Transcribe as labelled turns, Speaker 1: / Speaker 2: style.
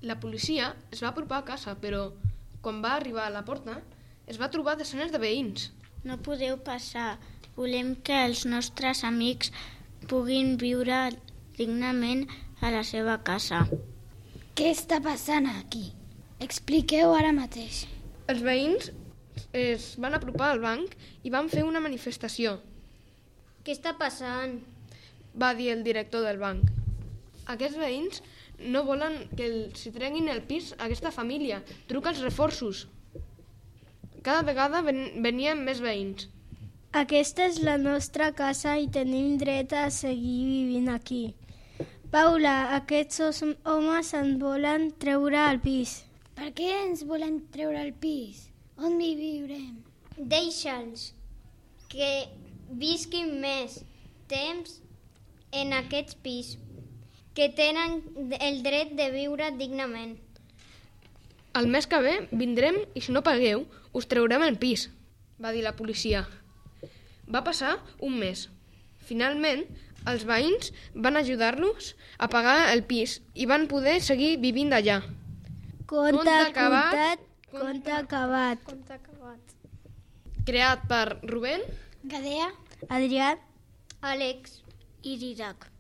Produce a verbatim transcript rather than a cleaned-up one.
Speaker 1: La policia es va apropar a casa, però quan va arribar a la porta es va trobar desenes de veïns.
Speaker 2: No podeu passar. Volem que els nostres amics puguin viure dignament a la seva casa.
Speaker 3: Què està passant aquí? Expliqueu ara mateix.
Speaker 1: Els veïns es van apropar al banc i van fer una manifestació.
Speaker 4: Què està passant?
Speaker 1: Va dir el director del banc. Aquests veïns no volen que els treguin el pis a aquesta família. Truca als reforços. Cada vegada ven venien més veïns.
Speaker 5: Aquesta és la nostra casa i tenim dret a seguir vivint aquí. Paula, aquests homes ens volen treure al pis.
Speaker 3: Per què ens volen treure al pis? On hi viurem?
Speaker 4: Deixa'ls que visquin més temps en aquest pis, que tenen el dret de viure dignament.
Speaker 1: El mes que ve vindrem i si no pagueu us treurem el pis, va dir la policia. Va passar un mes. Finalment, els veïns van ajudar-los a pagar el pis i van poder seguir vivint allà.
Speaker 5: Conte acabat, conte acabat.
Speaker 4: Conte acabat.
Speaker 1: Creat per Rubén,
Speaker 3: Gadea,
Speaker 5: Adrià,
Speaker 4: Àlex
Speaker 2: I Didac.